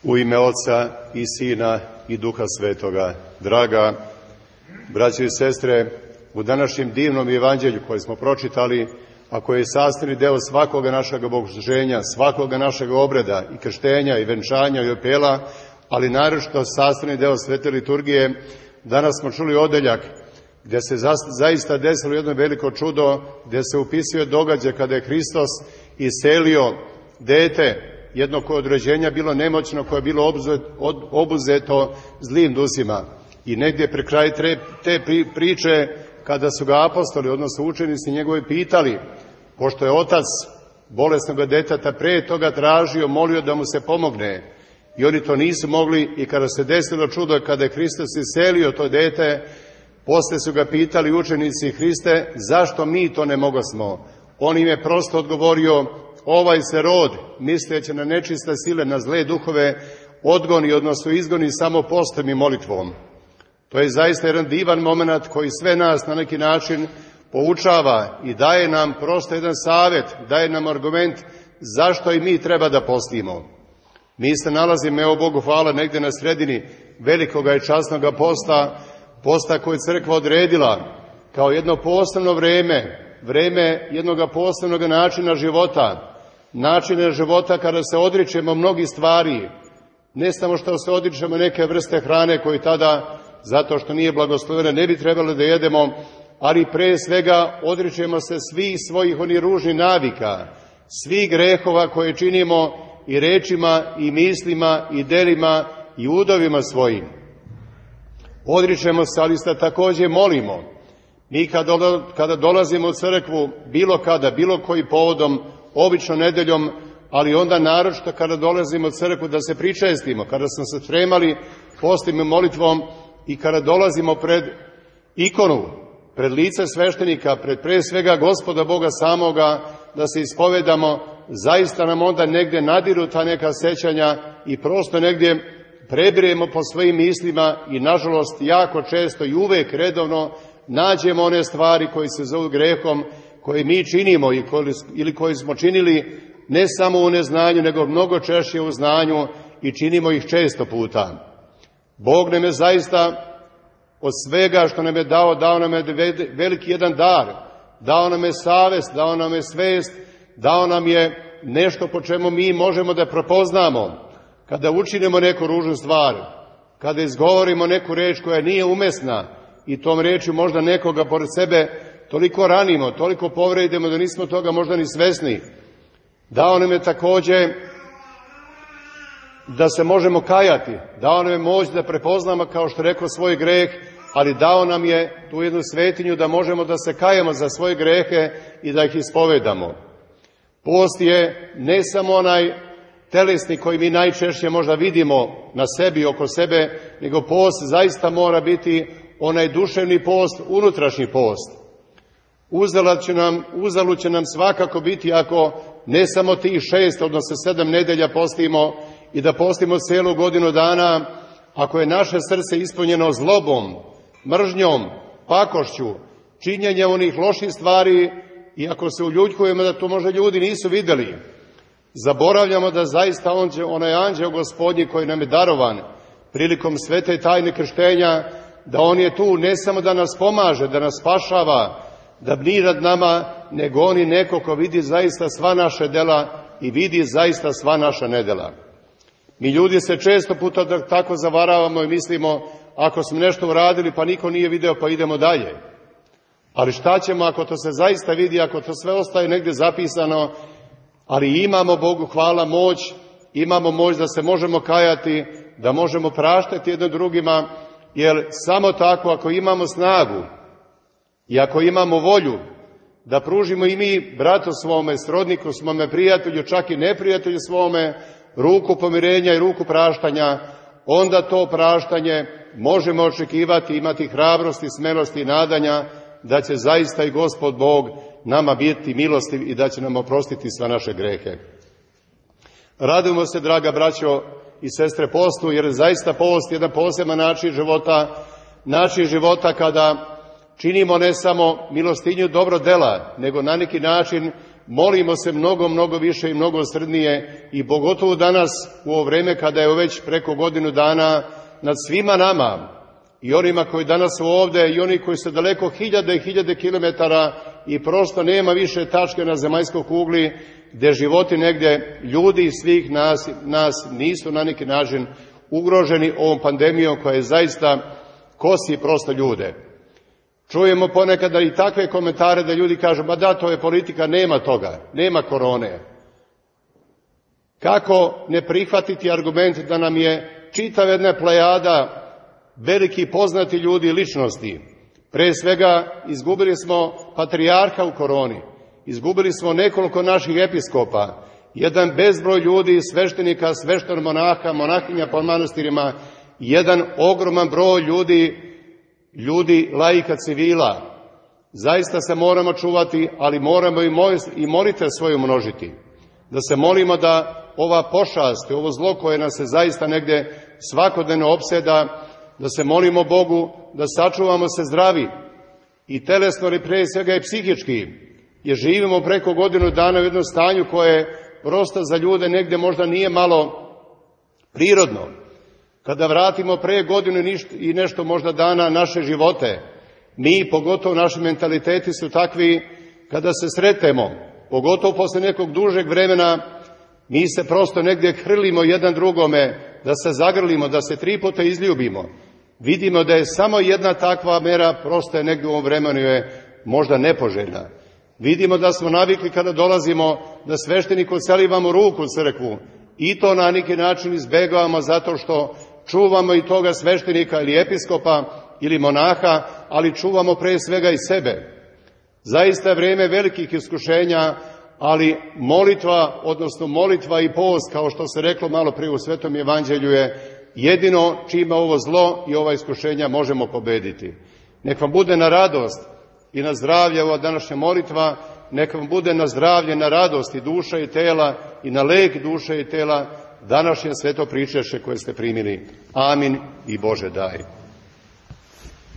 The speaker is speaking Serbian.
U ime Oca i Sina i Duha Svetoga. Draga braćo i sestre, u današnjem divnom evanđelju koje smo pročitali, a koje je sastavni deo svakoga našeg bogosluženja, svakoga našeg obreda i krštenja i venčanja i opela, ali naročito sastavni deo svete liturgije, danas smo čuli odeljak gdje se zaista desilo jedno veliko čudo, gdje se upisuje događaj kada je Hristos iselio dete, jedno koje od rođenja bilo nemoćno, koje je bilo obuzeto zlim dusima. I negdje pri kraju te priče, kada su ga apostoli, odnosno učenici njegovi, pitali, pošto je otac bolesnog deteta pre toga tražio, molio da mu se pomogne, i oni to nisu mogli, i kada se desilo čudo, kada je Hristos iselio to dete, posle su ga pitali učenici: Hriste, zašto mi to ne mogosmo? On im je prosto odgovorio: ovaj se rod, misleći na nečiste sile, na zle duhove, odgoni, odnosno izgoni samo postom i molitvom. To je zaista jedan divan moment koji sve nas na neki način poučava i daje nam prosto jedan savjet, daje nam argument zašto i mi treba da postimo. Mi se nalazimo, evo Bogu hvala, negdje na sredini velikoga i časnoga posta koje je crkva odredila kao jedno posebno vreme jednog posebnog načina života kada se odričemo mnogih stvari, ne samo što se odričemo neke vrste hrane koju tada, zato što nije blagoslovena, ne bi trebalo da jedemo, ali pre svega odričemo se svih svojih onih ružnih navika, svih grehova koje činimo i rečima i mislima i delima i udovima svojim. Odričemo se, ali se također molimo. Mi kada dolazimo u crkvu, bilo koji povodom, obično nedeljom, ali onda naročito kada dolazimo u crkvu da se pričestimo, kada smo se spremali postim i molitvom i kada dolazimo pred ikonu, pred lice sveštenika, pred pre svega Gospoda Boga samoga, da se ispovedamo, zaista nam onda negdje nadiru ta neka sećanja i prosto negdje prebiremo po svojim mislima i nažalost jako često i uvek redovno nađemo one stvari koje se zovu grehom, koje mi činimo ili koje smo činili ne samo u neznanju, nego mnogo češće u znanju i činimo ih često puta. Bog nam je zaista od svega što nam je dao nam je veliki jedan dar, dao nam je savest, dao nam je svest, dao nam je nešto po čemu mi možemo da prepoznamo. Kada učinimo neku ružnu stvar, kada izgovorimo neku reč koja nije umesna i tom rečju možda nekoga pored sebe toliko ranimo, toliko povredimo da nismo toga možda ni svesni. Dao nam je također da se možemo kajati, dao nam je moć da prepoznamo, kao što rekao, svoj greh, ali dao nam je tu jednu svetinju da možemo da se kajemo za svoje grehe i da ih ispovedamo. Post je ne samo onaj telesni koji mi najčešće možda vidimo na sebi, oko sebe, nego post zaista mora biti onaj duševni post, unutrašnji post. Uzalud će nam svakako biti ako ne samo tih 6, odnosno 7 nedelja postimo i da postimo celu godinu dana, ako je naše srce ispunjeno zlobom, mržnjom, pakošću, činjenjem onih loših stvari, i ako se uljuljkujemo da to možda ljudi nisu vidjeli, zaboravljamo da zaista onaj anđeo Gospodnji koji nam je darovan prilikom svete tajne krštenja, da on je tu ne samo da nas pomaže, da nas spašava, da bdi nad nama, nego on je neko ko vidi zaista sva naša dela i vidi zaista sva naša nedela. Mi ljudi se često puta tako zavaravamo i mislimo, ako smo nešto uradili pa niko nije video pa idemo dalje. Ali šta ćemo ako to se zaista vidi, ako to sve ostaje negdje zapisano, ali imamo, Bogu hvala, moć, imamo moć da se možemo kajati, da možemo praštati jedno drugima, jer samo tako, ako imamo snagu i ako imamo volju da pružimo i mi bratu svome, srodniku svome, prijatelju, čak i neprijatelju svome, ruku pomirenja i ruku praštanja, onda to praštanje možemo očekivati, imati hrabrosti, smelosti i nadanja da će zaista i Gospod Bog nama biti milostiv i da će nam oprostiti sva naše grehe. Radujemo se, draga braćo i sestre, postu, jer zaista post je jedan poseban način života kada činimo ne samo milostinju dobro dela, nego na neki način molimo se mnogo više i mnogo srdnije i pogotovo danas u ovo vreme kada je već preko godinu dana nad svima nama i onima koji danas su ovde i oni koji su daleko hiljade i hiljade kilometara i prosto nema više tačke na zemaljskoj kugli gde životi negde ljudi i svih nas nisu na neki način ugroženi ovom pandemijom koja je zaista kosi prosto ljude. Čujemo ponekada i takve komentare da ljudi kažu, ba da, to je politika, nema toga, nema korone. Kako ne prihvatiti argument da nam je čitava jedna plejada veliki poznati ljudi i ličnosti. Pre svega izgubili smo patrijarha u koroni, izgubili smo nekoliko naših episkopa, jedan bezbroj ljudi, sveštenika, sveštenog-monaha, monahinja po manastirima, jedan ogroman broj ljudi laika civila. Zaista se moramo čuvati, ali moramo i molite svoju množiti. Da se molimo da ova pošast, ovo zlo koje nas se zaista negde svakodnevno opseda, da se molimo Bogu, da sačuvamo se zdravi i telesno, ali pre svega i psihički, jer živimo preko godinu dana u jednom stanju koje prosto za ljude negde možda nije malo prirodno. Kada vratimo pre godinu i nešto možda dana naše živote, mi, pogotovo naši mentaliteti su takvi, kada se sretemo, pogotovo posle nekog dužeg vremena, mi se prosto negdje hrlimo jedan drugome, da se zagrlimo, da se 3 puta izljubimo. Vidimo da je samo jedna takva mera, prosto je negdje u ovom vremenu je možda nepoželjna. Vidimo da smo navikli kada dolazimo da svešteniku celivamo ruku u crkvu i to na neki način izbegavamo zato što čuvamo i toga sveštenika ili episkopa ili monaha, ali čuvamo pre svega i sebe. Zaista je vreme velikih iskušenja, ali molitva i post, kao što se reklo malo prije u Svetom evanđelju, je jedino čime ovo zlo i ova iskušenja možemo pobediti. Nek vam bude na radost i na zdravlje ova današnja molitva, nek vam bude na zdravlje, na radost i duša i tela i na lek duše i tela današnje sveto pričaše koje ste primili. Amin i Bože daj.